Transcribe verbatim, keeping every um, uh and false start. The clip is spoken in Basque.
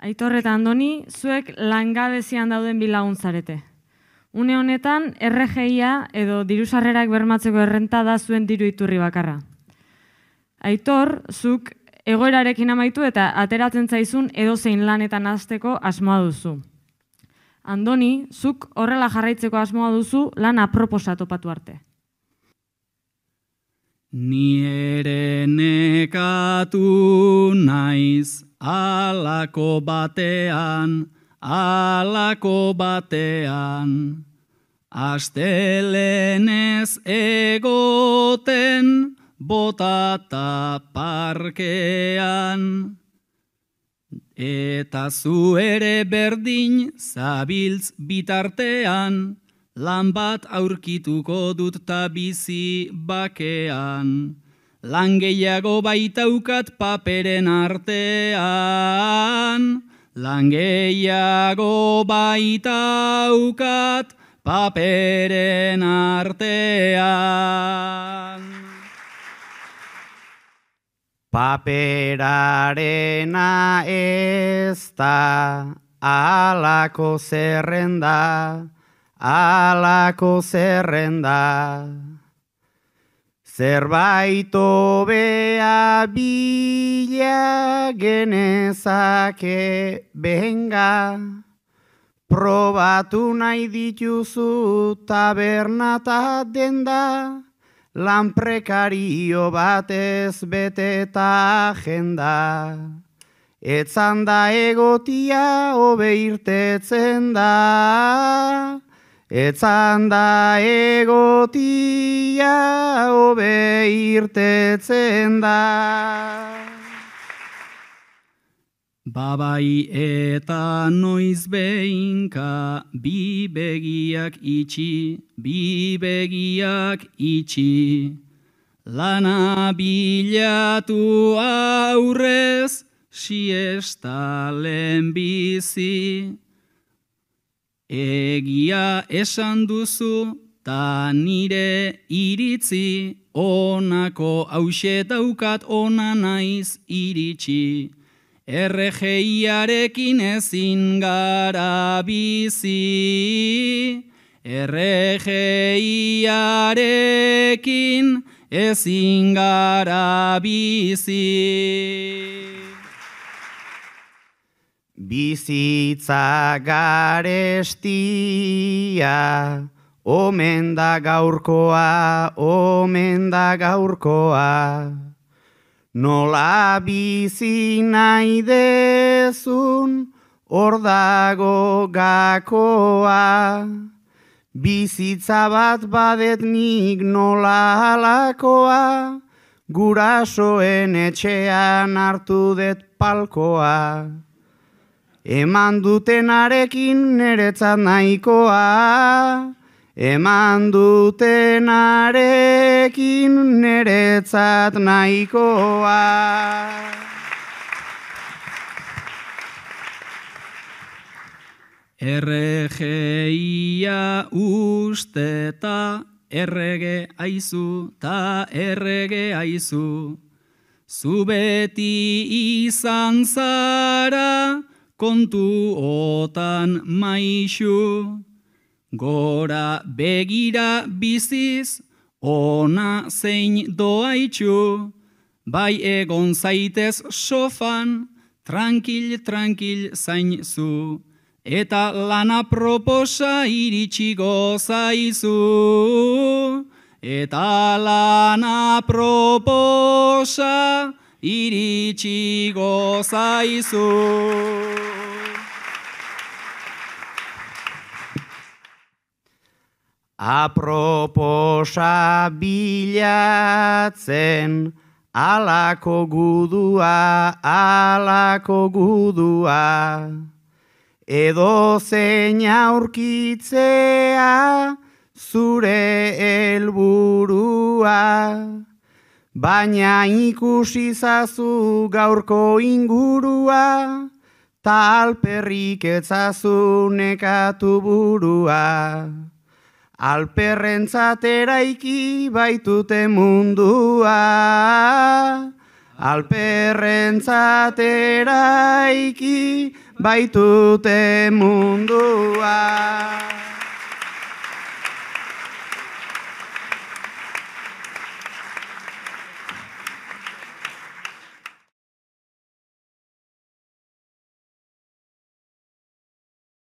Aitor eta Andoni, zuek langabezian dauden bilagun zarete. Une honetan, R G I-a edo dirusarrerak bermatzeko errenta da zuen diru iturri bakarra. Aitor, zuk egoerarekin amaitu eta ateratzen zaizun edozein lanetan hasteko asmoa duzu. Andoni, zuk horrela jarraitzeko asmoa duzu lan aproposa topatu arte. Ni ere nekatu naiz alako batean, alako batean. Astelenez egoten botata parkean. Eta zu ere berdin zabiltz bitartean, lan bat aurkituko dut ta bizi bakean. Lan gehiago baitaukat paperen artean. Lan gehiago baitaukat paperen artean. Paperarena ez da alako zerrenda, alako zerrenda. Zerbait hobea bila genezake benga. Probatu nahi dituzu taberna ta denda. Lan prekario batez beteta agenda. Etzan da egotia hobe irtetzen da. Etzan da egotia hobe irtetzen da. Babai eta noiz behinka bi begiak itxi, bi begiak itxi. Lana bilatu aurrez, siesta lehenbizi. Egia esan duzu, ta nire iritzi, onako hauxe daukat ona naiz iritsi. R G I-arekin ezin gara bizi, R G I-arekin ezin gara bizi. Bizitza garestia, omen da gaurkoa, omen da gaurkoa. Nola bizi nahi dezun, hor dago gakoa. Bizitza bat badet nik nola halakoa, gurasoen etxean hartu det palkoa. Eman dutenarekin niretzat nahikoa, eman dutenarekin niretzat nahikoa. R G I-a usteta errege aizu ta errege aizu. Zu beti izan zara kontu otan maixu. Gora begira biziz, ona zein doaitxu. Bai egon zaitez sofan, tranquil, tranquil zain zu. Eta lana proposa iritsiko zaizu. Eta lana proposa iritsiko zaizu. Aproposa bilatzen, alako gudua, alako gudua. Edo zein aurkitzea, zure helburua. Baina ikusi zazu gaurko ingurua, ta alperrik etzazu nekatu burua. Alperrentzat eraiki baitute mundua, alperrentzat eraiki baitute mundua.